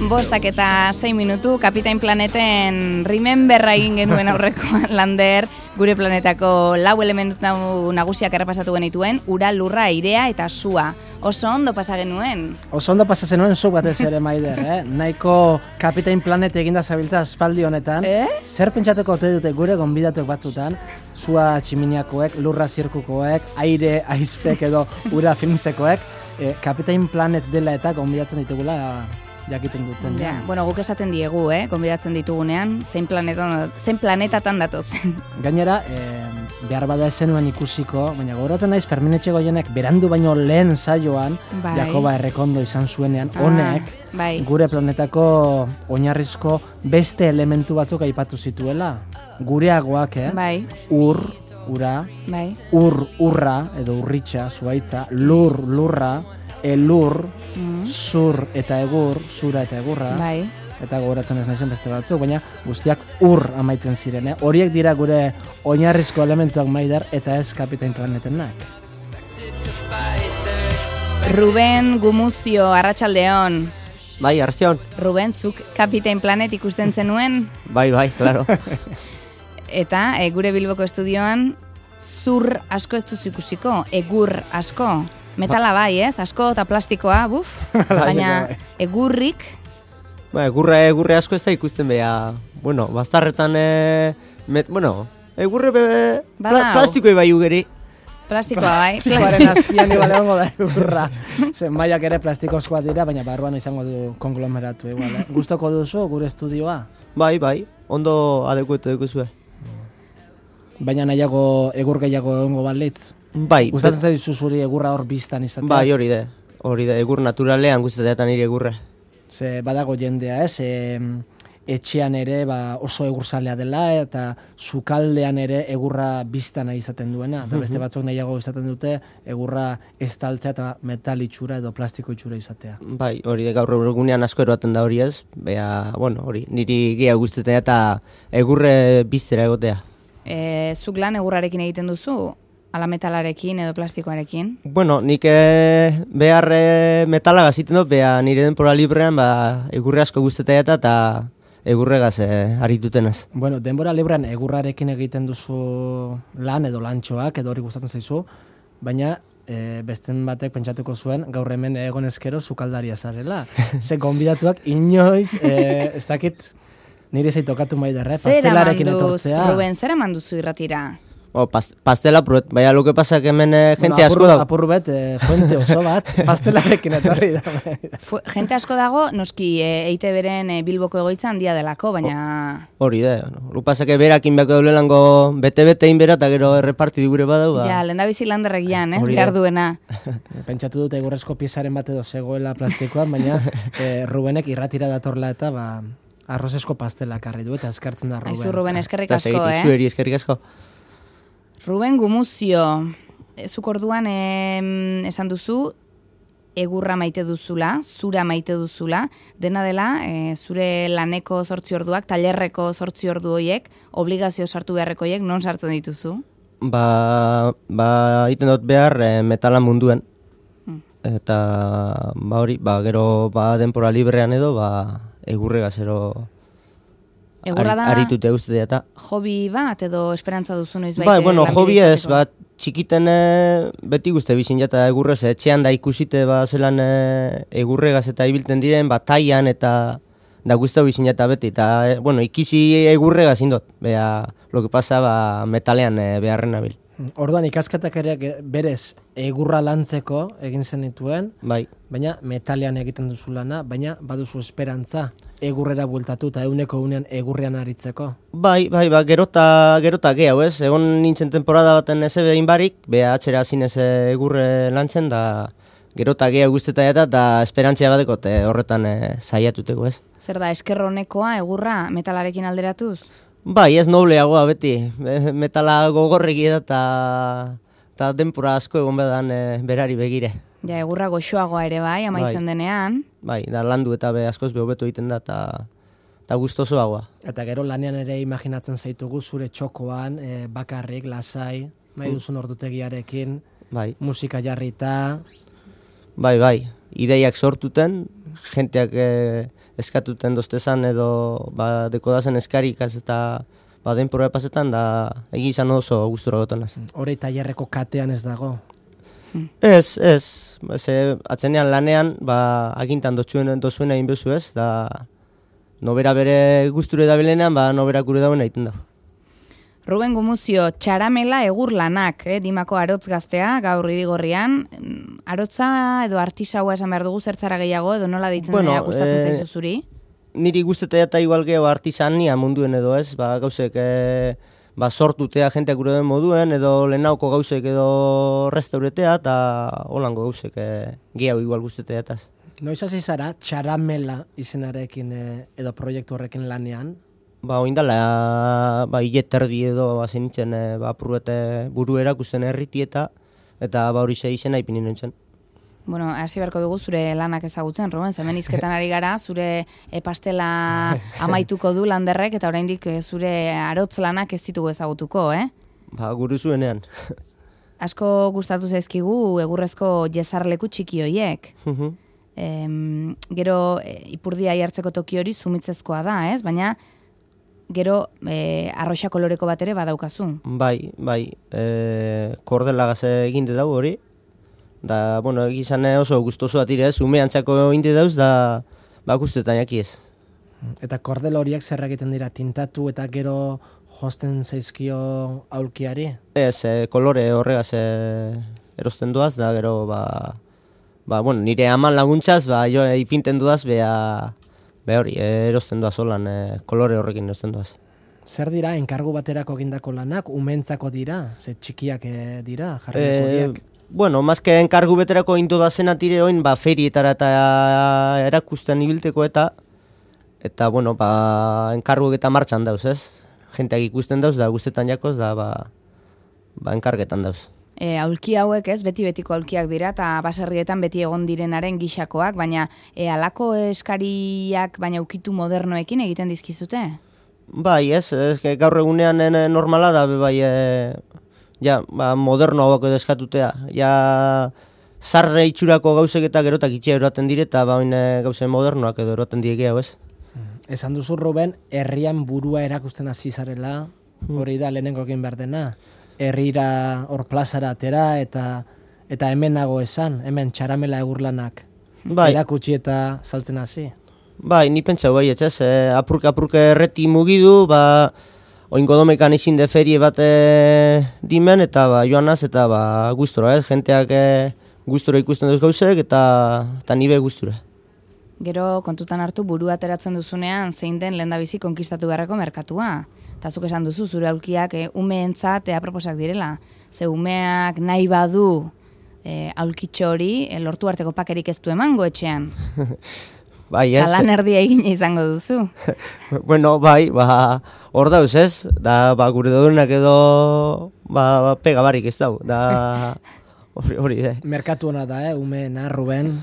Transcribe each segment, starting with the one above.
Bostak eta 6 minutu, Kapitain Planeten Rememberra egin genuen aurrekoan lander, gure planetako 4 elementu nagusiak errepasatu genituen, ura, lurra, airea eta sua. Oso ondo pasa genuen. Oso ondo pasa zenuen zu batez ere, Maider, Nahiko Kapitain Planet eginda zabiltza aspaldi honetan. Zer pentsatuko ote dute gure gonbidatuek batzutan, sua tximiniakoek, lurra zirkukoek, aire aizpek edo ura filmsekoek, Kapitain Planet dela eta gonbidatzen ditugula jakiten duten. Ja, bueno, guk esaten diegu, gonbidatzen ditugunean, zein planetatan datozen. Gainera, behar bada ezenuen ikusiko, baina gogoratzen naiz Fermin Etxegoienek berandu baino lehen saioan, Jakoba Errekondo izan zuenean, honek, gure planetako oinarrizko beste elementu batzuk aipatu zituela. Gureagoak, ur, ura, urra edo urritxa, zuaitza, lurra, elur, zur eta egur, zura eta egurra, eta gogoratzen ez naizen beste batzuk, baina guztiak ur amaitzen ziren. Horiek dira gure oinarrizko elementuak, Maider, eta ez Kapitain Planetenak. Ruben Gumuzio, arratsaldeon. Bai, arratsaldeon. Ruben, zuk Kapitain Planet ikusten zenuen? Bai, claro. Eta gure Bilboko estudioan zur asko ez duzu ikusiko, egur asko. Metala bai, asko eta plastikoa, baina egurrik... Egurre asko ez da ikusten beha, bazarretan, egurre plastikoi bai ugeri. Plastikoa bai. Plastikoaren azpian igual egongo da egurra. Zenbaiak ere plastikozkoa dira, baina barruan izango du konglomeratu igual. Gustoko duzu gure estudioa? Bai, ondo adekuetu dukuzue. Baina nahiago egur gehiago egongo balitz? Bai. Gustatzen zaizu zuri egurra hor biztan izatea? Bai, hori da, egur naturalean gustatzen nire egurre. Ze badago jendea, etxean ere oso egurzalea dela eta sukaldean ere egurra biztana izaten duena. Eta beste batzuk nahiago izaten dute egurra estaltzea eta metal itxura edo plastiko itxura izatea. Bai, hori da gaur egunean asko eroaten da hori ez. Hori, niri gehiago gustatzen eta egurre biztera egotea. Zuk lan egurrarekin egiten duzu? Ala metalarekin edo plastikoarekin? Nik behar metala gaziten dut, nire denpora librean egurre asko guztetea eta egurregaz aritutenaz. Denbora librean egurrarekin egiten duzu lan edo lantxoak edo hori gustatzen zaizu, baina besten batek pentsatuko zuen gaur hemen egon ezkero sukaldaria zarela. Ze gonbidatuak inoiz, ez dakit nire zaitokatu Maider, pastelarekin etortzea. Ruben, zer eman duzu irratira? Pastela pruet, baina lo que pasa que hemen gente asko dago. Apurru bet, fuente oso bat, pastelarekin etorri da. Gente asko dago, noski EITB-ren Bilboko egoitza handia delako, baina... Hori da, lo pasa que berakin beko daulelango bete-bete inbera eta gero erreparti digure badau. Ja, lehen da bizi landerregian, behar duena. Pentsatu dut egurrezko piezaren bat edo zegoela plastikoan, baina Rubenek irratira datorla eta arrozesko pastelak arri du eta eskartzen da Ruben. Aizu Ruben, eskerrik asko, Zueri eskerrik asko. Ruben Gumuzio, zuk orduan esan duzu, egurra maite duzula, zura maite duzula, dena dela, zure laneko 8 orduak, tailerreko 8 ordu horiek, obligazio sartu beharreko horiek, non sartzen dituzu? Iten dut behar metalan munduen. Eta, hori, gero denpora librean edo, egurre gazero... Egurra da, aritute guztetea eta... Hobi bat edo esperantza duzu noiz baite? Hobi ez, txikiten beti guzti bizin jata egurrez, etxean da ikusite zelan egurregaz eta ibilten diren, taian eta da guzti bizin jata beti. Eta, ikisi egurregaz indot, lo que pasa metalean beharren nabil. Orduan ikasketak ere berez egurra lantzeko egin zenituen, baina metalean egiten duzu lana, baina baduzu esperantza egurrera bueltatu eta eguneko unean egurrean aritzeko. Gerota gehiago ez, egon nintzen temporada baten ez behin barik, atxera zinez egurre lantzen, da gerota gehiago guztetan eta esperantzia bateko horretan saiatuteko ez. Zer da, eskerronekoa egurra metalarekin alderatuz? Ez nobleagoa beti, metala gogorregi eta denpora asko egon bedan berari begire. Ja, egurra goxoagoa ere amaitzen denean. Da landu eta askoz behobeto egiten da eta gustosoagoa. Eta gero lanean ere imaginatzen zaitugu zure txokoan, bakarrik, lasai, nahi duzun ordutegiarekin, musika jarrita. Bai. ideiak sortuten, jenteak eskatuten doztezan edo dekodazen eskarik eta denpora pasetan, da egizan oso gustura gotonaz. Hori tailerreko katean ez dago? Ez. Atzenean lanean, agintan dozuen egin bezu ez, da nobera bere gusture da belenean, nobera gure dauen egiten da. Ruben Gumuzio, Txaramela egur lanak, Dimako arotz gaztea, gaur Irigorrian. Arotza edo artisaua esan behar dugu zertzara gehiago, edo nola deitzen dira gustatzen zaizu zuri? Niri gustetea eta igual geho artisania munduen edo ez, gauzek sortutea jenteak gure den moduen, edo lehenauko gauzek edo restauretea, eta holango gauzek gehiago igual gustetea etaz. Noiz hasi zara Txaramela izenarekin edo proiektu horrekin lanean? Oindala, hileterdi edo zenitzen apurruete buru erakusten erriti eta hori izena ipini nintzen. Bueno, hasi beharko dugu zure lanak ezagutzen, Ruben, hemen hizketan ari gara, zure pastela amaituko du landerrek, eta oraindik zure arotz lanak ez ditugu ezagutuko, Guru zuenean. Asko gustatu zaizkigu egurrezko jezarleku txiki hoiek. Gero ipurdia jartzeko toki hori zumitzezkoa da, ez? Baina gero arroxa koloreko bat ere badaukazu. Bai, kordelagaz eginde dago hori. Da, bueno, egizan oso gustoso atire ez, umeantzako inde dauz, da, guztetan jaki ez. Eta kordel horiek zer egiten dira, tintatu eta gero josten zaizkio aulkiari? Ez, kolore horregaz erosten duaz, da gero, bueno, nire aman laguntzaz, jo ipinten duaz, hori, erosten duaz holan, kolore horrekin erosten duaz. Zer dira, enkargu baterako egindako lanak, umentzako dira, ze txikiak dira, jarriko horiek? Bueno, mazke enkargu beterako indu da zen atire oin, ferietara eta erakusten ibilteko eta bueno, enkarguek eta martxan dauz, ez? Jenteak ikusten dauz, da guztetan jakoz, da enkargetan dauz. Aulki hauek ez, beti-betiko aulkiak dira, eta baserrietan beti egon direnaren gixakoak, baina alako eskariak, baina ukitu modernoekin egiten dizkizute? Bai, ez, gaur egunean normala da, moderno hauak edo eskatutea. Zarre itxurako gauzek eta gerotak itxea eroaten dire, eta gauze modernoak edo eroaten direke hau ez. Esan duzu, Ruben, herrian burua erakusten hasi zarela, hori da lehenengo egin behar dena. Herrira hor plazara atera eta hemen nago esan, hemen Txaramela egurlanak erakutsi eta saltzen hasi. Bai, ni pentsau bai, ez, apurka erreti mugidu, oingo domekan izin de ferie bat dimen, eta joanaz, eta gustora, ez, jenteak gustora ikusten duz gauzek, eta nibe gustura. Gero kontutan hartu burua ateratzen duzunean zein den lehendabizi konkistatu beharreko merkatua. Eta zuk esan duzu, zure aulkiak umeentzat aproposak direla. Ze umeak nahi badu aulkitxo hori, lortu arteko pakerik ez du emango etxean. Bai, ez. Lan erdia egin izango duzu. Bueno, bai, hor dauz ez, da gure daudenak edo pega barik ez dau, da hori. Merkatu hona da, umeena, Ruben.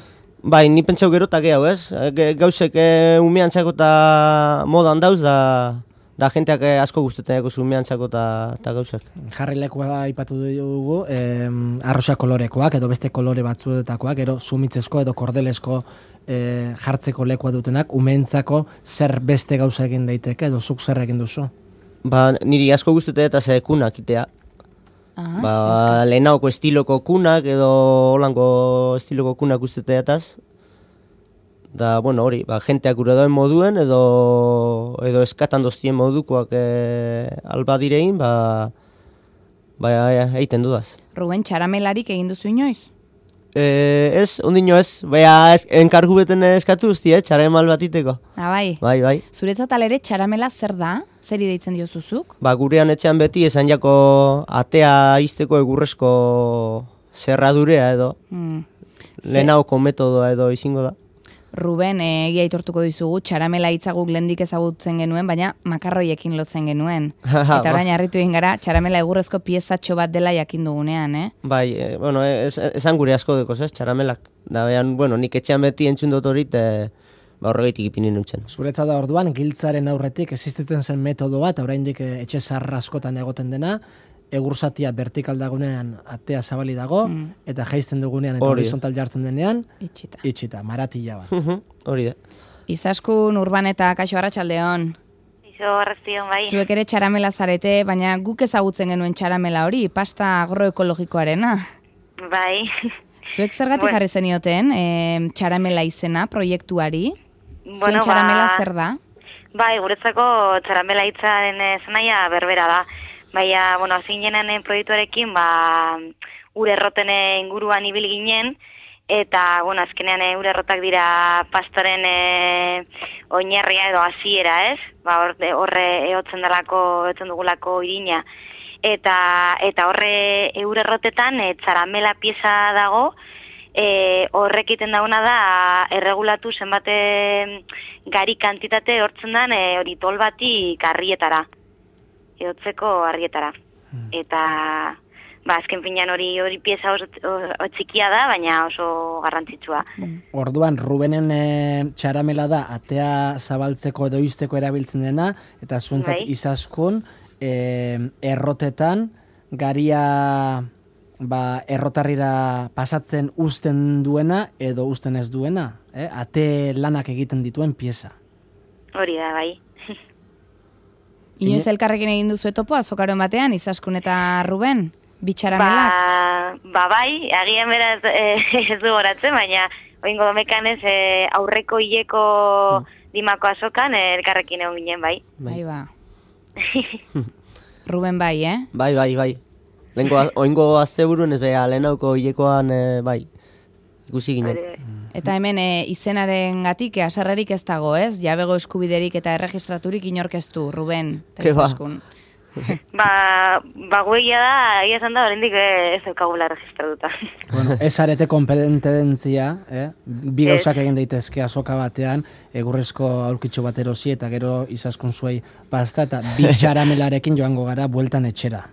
Bai, ni pentsau gerotak hau ez, gauzek umeantzako eta modan dauz, da jenteak asko gustetan eko umeantzako eta gauzek. Jarrilekoa aipatu dugu, arroxa kolorekoak edo beste kolore batzuetakoak, ero sumitzezko edo kordelesko jartzeko lekoa dutenak, umeentzako zer beste gauza egin daiteke edo zuk zer egin duzu? Niri asko gustetan eta ze kunak itea. Lehenaoko estiloko kunak edo holango estiloko kunak usteteataz. Da, bueno, hori, jenteak gure dauen moduen edo eskatan doztien modukoak alba direin, egiten dudaz. Ruben, Txaramelarik egin duzu inoiz? Ez, ondino ez, enkargu beten eskatu guzti, Txaramal batiteko. Bai. Bai. Zuretzat alere Txaramela zer da? Zer ideitzen diozuzuk? Gurean etxean beti esan jako atea izteko egurrezko zerradurea edo. Lehenauko metodoa edo izango da. Ruben, egia aitortuko dizugu, Txaramela hitzaguk lehendik ezagutzen genuen, baina makarroiekin lotzen genuen. Eta orain harritu egin gara, Txaramela egurrezko piezatxo bat dela jakin dugunean, Bai, bueno, esan gure asko dekoz, Txaramelak. Da, bueno, nik etxean beti entzun dut horit, horregaitik ipinin nintzen. Zuretzat da orduan, giltzaren aurretik existitzen zen metodo bat, oraindik etxe zarra askotan egoten dena, egursatia vertikal dagoenean atea zabali dago, eta jaisten dugunean eta horizontal jartzen denean, itxita, maratilla bat. Hori da. Izaskun Urbaneta, kaixo arratsaldeon. Arraztion, bai. Zuek ere txaramela zarete, baina guk ezagutzen genuen txaramela hori, pasta agroekologikoarena. Bai. Zuek zergatik jarri zenioten txaramela izena proiektuari? Zuen txaramela zer da? Bai, guretzako txaramela hitzaren zanaia berbera da. Baina, azin jenen proiektuarekin, ur erroten inguruan ibil ginen, eta, azkenean ur errotak dira pastoren oinarria edo hasiera, ez? Horre ehotzen dugulako irina. Eta horre ur errotetan txaramela pieza dago, horrek iten dauna da erregulatu zenbate gari kantitate hortzen dan hori tol batik harrietara, ehotzeko harrietara. Eta azken finean hori pieza oso txikia da, baina oso garrantzitsua. Orduan, Rubenen txaramela da atea zabaltzeko edo izteko erabiltzen dena, eta zuentzat Izaskun errotetan garia errotarrira pasatzen uzten duena edo uzten ez duena, ate lanak egiten dituen pieza. Hori da, bai. Inoiz elkarrekin egin duzu etopo azokaroen batean, Izaskun eta Ruben, bitxaramelak? Bai, agian beraz ez du goratzen, baina oingo domekan ez aurreko hileko dimako azokan elkarrekin egon ginen, bai. Bai, ba. Ruben bai, Bai. Oingo azte buruen ez beha, lehenauko hilekoan, bai, ikusi ginen. Eta hemen izenaren gatik, asarrerik ez dago, ez? Jabego eskubiderik eta erregistraturik inorkeztu, Ruben. Ke ba. Guegia da, egia esan da, oraindik ez daukagula registratuta. Ez arete kompetentzia, bi gauzak egin daitezke azoka batean, egurrezko aulkitxo bat erosi eta gero Izaskun zuei pasta eta bi txaramelarekin joango gara bueltan etxera.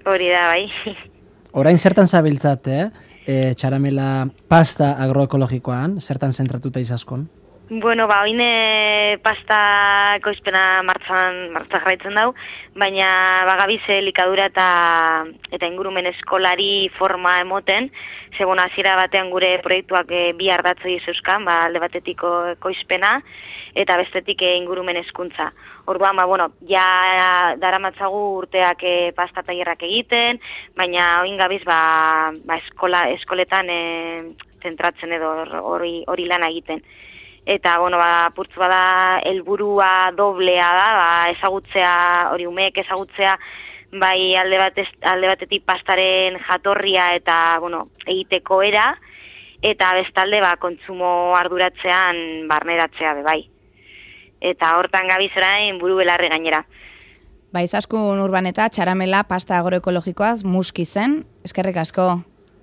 Hori da, bai. Orain zertan zabiltzat, txaramela pasta agroekologikoan, zertan zentratuta Izaskun? Oin pasta ekoizpena martzan jarraitzen dau, baina bagabize likadura eta ingurumen eskolari forma emoten, segun hasiera batean gure proiektuak bi ardatzoi zeuzkan, alde batetiko ekoizpena eta bestetik ingurumen hezkuntza. Orduan, ja daramatzagu urteak pasta tailerrak egiten, baina oin gabiz eskoletan zentratzen edo hori lana egiten. Eta, purtz bada helburua doblea da, ezagutzea, hori umeek ezagutzea, bai alde batetik pastaren jatorria eta, egiteko era, eta bestalde, kontsumo arduratzean barneratzea, bai. Eta hortan gabiz orain buru belarri gainera. Izaskun Urbaneta, txaramela, pasta agroekologikoaz, muski zen, eskerrik asko.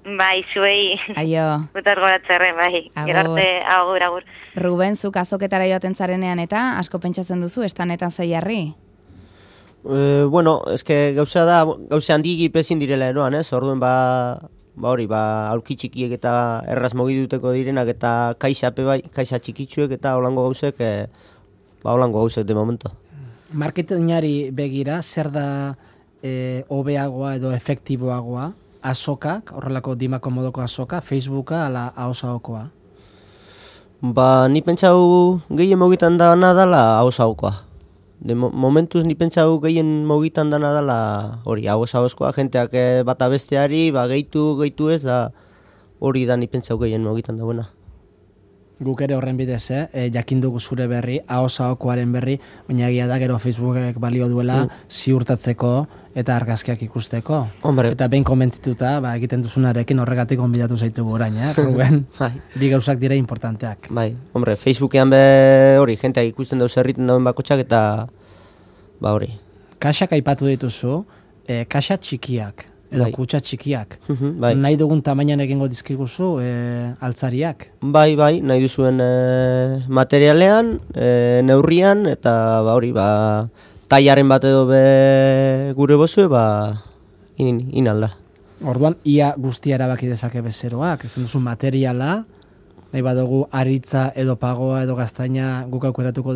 Bai, zuei. Aio. Gutar goratzerren, bai. Gerarte, agur. Ruben, zuk azoketara joaten zarenean eta asko pentsatzen duzu, estanetan zeiarri? Eske gauza da, gauza handigi pezin direla eroan, ez? Orduen aulki txikiek eta erraz mogiduteko direnak eta kaixape bai, kaixa txikitsuek eta holango gauzek, holango gauzek de momento. Marketingari begira, zer da hobeagoa edo efektiboagoa? Azokak, horrelako dimako modoko azoka, Facebooka ala ahosaokoa? Ni pentsau gehien mogitan dana dala ahosaokoa. De momentuz ni pentsau gehien mogitan dana dala hori ahosaokoa, jenteak bata besteari, gehitu ez da hori da ni pentsau gehien mogitan dagoena. Guk ere horren bidez, jakin dugu zure berri, ahosaokoaren berri, baina egia da gero Facebookek balio duela ziurtatzeko eta argazkiak ikusteko. Hombre. Eta behin konbentzituta, egiten duzunarekin horregatik gonbidatu zaitugu orain, Ruben? Bi gauzak dira importanteak. Bai, hombre, Facebookean hori, jenteak ikusten dauz erriten dauen bakotxak eta hori. Kaxak aipatu dituzu, kaxa txikiak, edo kutsa txikiak. Bai. Nahi dugun tamainan egingo dizkiguzu altzariak? Bai, nahi duzuen materialean, neurrian, eta tailaren bat edo gure bozue, inalda. Orduan, ia guztia erabaki dezake bezeroak, esan duzu materiala, nahi badugu aritza edo pagoa edo gaztaina guk aukeratuko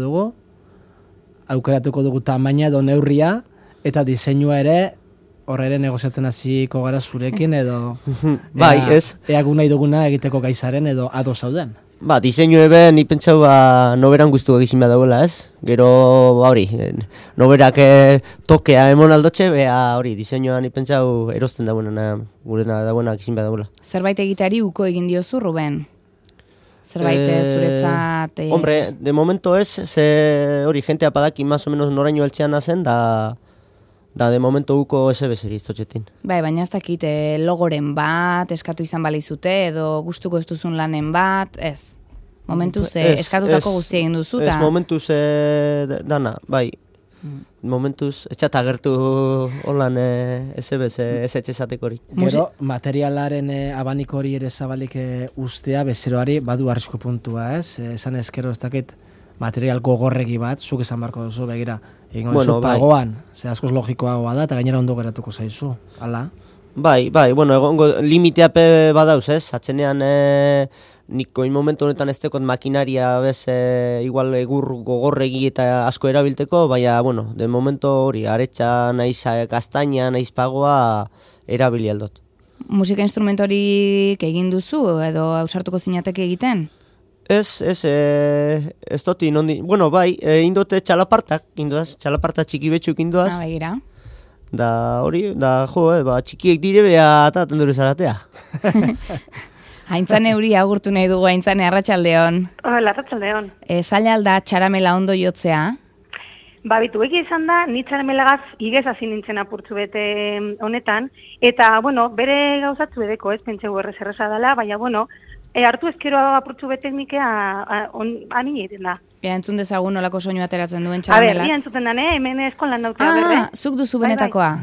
dugu tamaina edo neurria, eta diseinua ere Horre ere negoziatzen hasiko gara zurekin edo... Bai, ez. Eagu nahi duguna egiteko gaizaren edo ado zauden. Diseinu eben, ni pentsau noberan guztu egizin behar dagoela, ez? Gero, hori, noberak tokea emon aldotxe, hori, diseinuan ni pentsau erosten dagoena, gurena dagoena egizin behar dagoela. Zerbait egiteari uko egin diozu, Ruben? Zerbait zuretzat... Hombre, de momento ez, ze hori, jentea padaki más o menos noraino altxean hazen, da de momento uko SB-seri iztotxetin. Baina ez dakit, logoren bat, eskatu izan balizute, edo gustuko ez duzun lanen bat, ez. Momentuz eskatutako guztia egin duzu, ez momentuz dana, bai. Momentuz, etxat agertu holan SB-s, ez etxezateko hori. Gero, materialaren abaniko hori ere zabalik ustea, bezeroari badu arrisko puntua, ez? Esan ezkero ez dakit material gogorregi bat, zuk esan barko duzu, begira, egingo duzu pagoan, ze askoz logikoagoa da, eta gainera ondo geratuko zaizu, hala? Bai, bueno, egongo limiteape badauz, ez? Atzenean niko momentu honetan ez tekot makinaria bez, igual egur gogorregi eta asko erabilteko, baina, bueno, de momento hori, aretsa naiz gaztaina, naiz pagoa erabili aldot. Musika instrumentorik egin duzu, edo ausartuko zinateke egiten? Ez doti, bueno, bai, indote txalapartak, txalaparta txiki betxuk indoaz. Begira. Da hori, txikiek dire beha eta tenduru zaratea. Aintzane huri agurtu nahi dugu, Aintzane, arratsaldeon. Hola, arratsaldeon. Zaila alda txaramela ondo jotzea? Bitu egia izan da, ni txaramelagaz igez hasi nintzen apurtzu bete honetan, eta, bueno, bere gauzatzu edeko, ez pentsegu erreza dela, baina, bueno, hartu ezkero apurtzu bete teknikea anin egiten da. Entzun dezagun nolako soinu ateratzen duen txaramelak. Ia entzuten dane, hemen eskolan nautea berre. Zuk duzu benetakoa?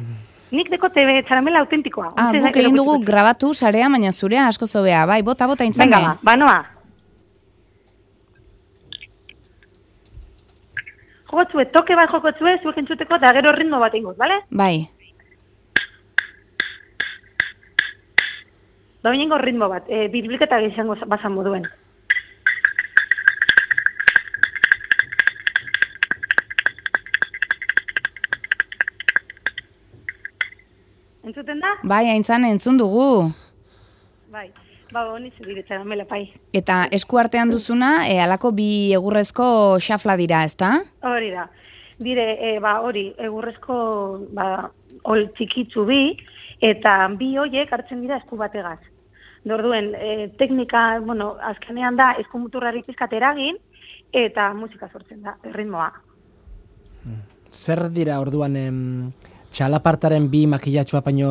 Nik dekote txaramela autentikoa. Guk egin dugu grabatu sarea, baina zurea asko zobea. Bai, bota Aintzane. Venga, banoa. Jokotzue, toke bat jokotzue, zuek entzuteko, eta gero ritmo bat ingoz, bale? Bai. Baina ritmo bat, birbilketa izango bazan moduen. Entzuten da? Bai, Aintzane, entzun dugu. Bai, honi zedire txaramela, pai. Eta esku artean duzuna, alako bi egurrezko xafla dira, ezta? Hori da. Dire, hori, egurrezko, ol txikitzu bi, eta bi hoiek hartzen dira esku bategaz. Orduen, teknika, bueno, azkenean da, esku muturrari pizkat eragin, eta musika sortzen da, ritmoa. Zer dira orduan txalapartaren bi makillatxoa baino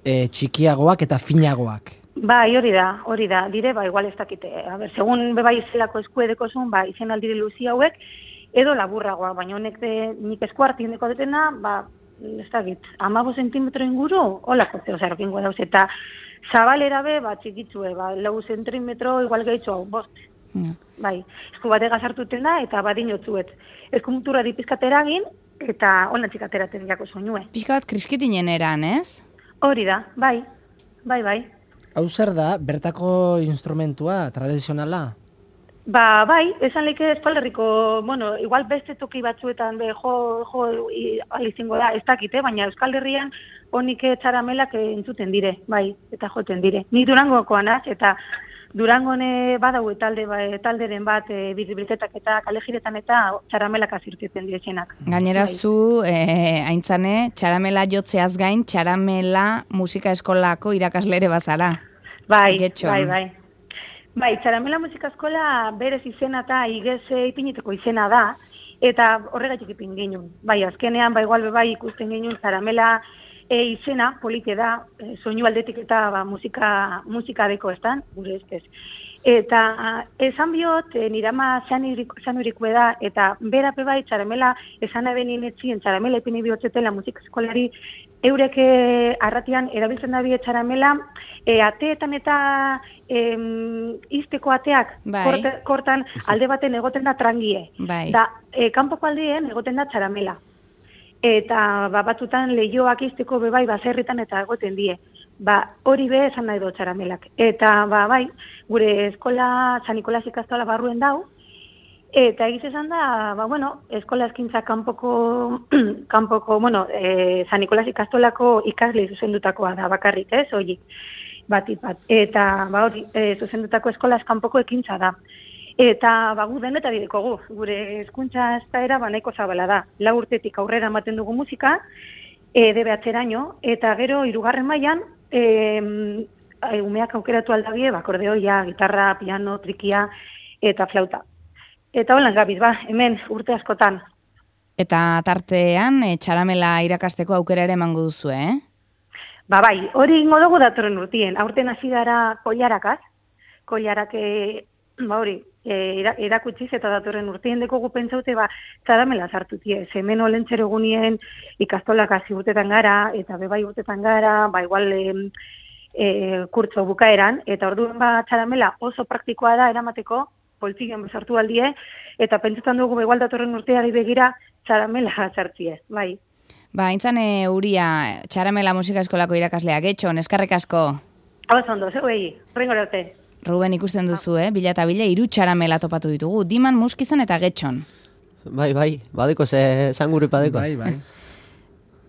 txikiagoak eta finagoak? Bai, hori da, dire, igual ez dakite. Segun bebai zelako esku edeko zuen, izen aldire luzi hauek, edo laburragoa, baina honek nik esku hartin deko detena, ez dakit, 15 zentimetro inguru, holako zeo zarrokingo dauz, eta zabalera be, txikitzue, 4 zentimetro igual gehitzu hau, 5. Bai, esku bate gazartuten da, eta badinotzuet. Esku muturra dipizkat eragin, eta holan txikateraten jako soinue. Pizka bat kriskitinen eran, ez? Hori da, bai. Hau zer da, bertako instrumentua, tradizionala? Bai, esan leke Espalderriko, bueno, igual beste toki batzuetan jo alizingo da, ez dakite, baina Euskal Herrian honik txaramelak entzuten dire, bai, eta joten dire. Ni Durangokoan az, eta Durangone badau talderen bat birbilketak eta kalejiretan eta txaramelak azirteten direzenak. Gainera zu, Aintzane, txaramela jotzeaz gain, txaramela musika eskolako irakaslere bazara. Bai. Bai, txaramela musika eskola berez izena eta igez ipiniteko izena da, eta horregatik ipin genuen. Bai, azkenean, igual ikusten genuen txaramela izena polite da, soinu aldetik eta musika deko estan, gure ez. Eta esan biot, nirama zanurikue da, eta berape bai txaramela esan eben inetzien txaramela epine bihotzetela musika eskolari eurek arratian erabiltzen da bie txaramela, ateetan eta izteko ateak kortan alde baten egoten da trangie. Da, kanpoko aldeen egoten da txaramela. Eta batzutan lehioak izteko bebai baserritan eta egoten die. Hori be esan nahi do txaramelak. Eta bai, gure eskola San Nikolas ikastola barruen dau, Eta egiz esan da, eskola eskintza kanpoko, San Nikolas ikastolako ikasle zuzendutakoa da bakarrik, hori, batit bat. Eta, zuzendutako eskola eskanpoko ekintza da. Eta, gu deneta bidekogu, gure hezkuntza eskaera nahiko zabala da. 4 urtetik aurrera ematen dugu musika, DBH-eraino, eta gero 3. mailan, umeak aukeratu aldabie, akordeoia, gitarra, piano, trikia eta flauta. Eta holan gabiz, hemen urte askotan. Eta tartean, txaramela irakasteko aukera ere emango duzu, Bai, hori ingo dugu datorren urtien. Aurten hasi gara koilarakaz. Koilarak, erakutsiz eta datorren urtien dekogu pentsaute, txaramela sartutie. Hemen olentzero egunien ikastolak hasi urtetan gara, eta bebai urtetan gara, igual kurtzo bukaeran, eta orduen txaramela oso praktikoa da eramateko, poltsigen bezartu aldie, eta pentsetan dugu igual datorren urteari begira txaramela sartzie, bai. Intzan Uria, txaramela musika eskolako irakaslea, Getxon, eskarrek asko. Hau zondo, zeuei, horrengo arte. Ruben ikusten duzu, bila eta bila 3 txaramela topatu ditugu, Diman, Muskizan eta Getxon. Bai, badeko zangurri padekoz. Bai.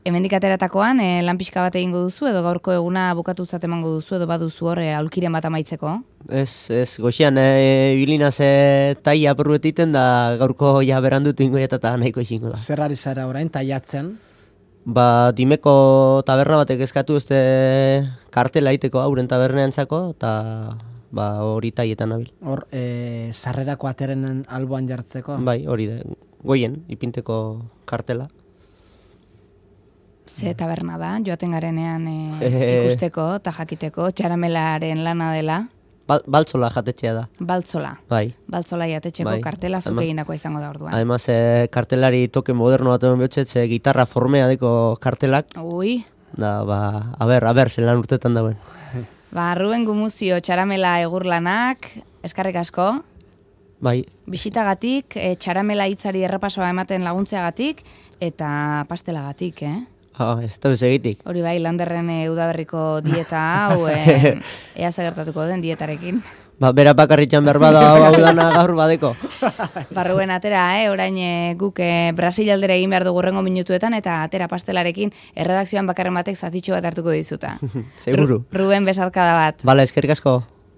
Hemendik ateratakoan, lan pixka bat egingo duzu, edo gaurko eguna bukatutzat emango duzu, edo baduzu hor aulkiren bat amaitzeko? Ez, goxian, bilinaz taia apurretiten da gaurko berandutu ingoieta eta nahiko izingo da. Zer ari zara orain, taiatzen? Dimeko taberna batek eskatu kartela iteko hauren tabernean zako, eta hori taietan nabil. Hor, sarrerako aterenen alboan jartzeko? Bai, hori da, goien, ipinteko kartela. Ze taberna da, joaten garenean ikusteko eta jakiteko, txaramelaren lana dela? Baltzola jatetxea da. Baltzola. Bai. Baltzola jatetxeko kartela zuke egindakoa izango da orduan. Además, kartelari toke moderno bat eman behotxetze, gitarra formea deko kartelak. Ui. Da, a ber, zelan urtetan dauen. Ruben Gumuzio, txaramela egurlanak, eskarrik asko. Bai. Bisitagatik, txaramela hitzari errepasoa ematen laguntzeagatik, eta pastelagatik, Ez da bezegitik. Hori bai, Landerren udaberriko dieta hau, ea zagertatuko den dietarekin. Bera bakarritxan behar bada hau dana gaur badeko. Ruben atera, orain guk Brasil aldera egin behar dugu rengo minutuetan, eta atera pastelarekin erredakzioan bakarren batek zatitxo bat hartuko dizuta. Seguru. Ruben, besarkada bat. Bala, eskerrik asko.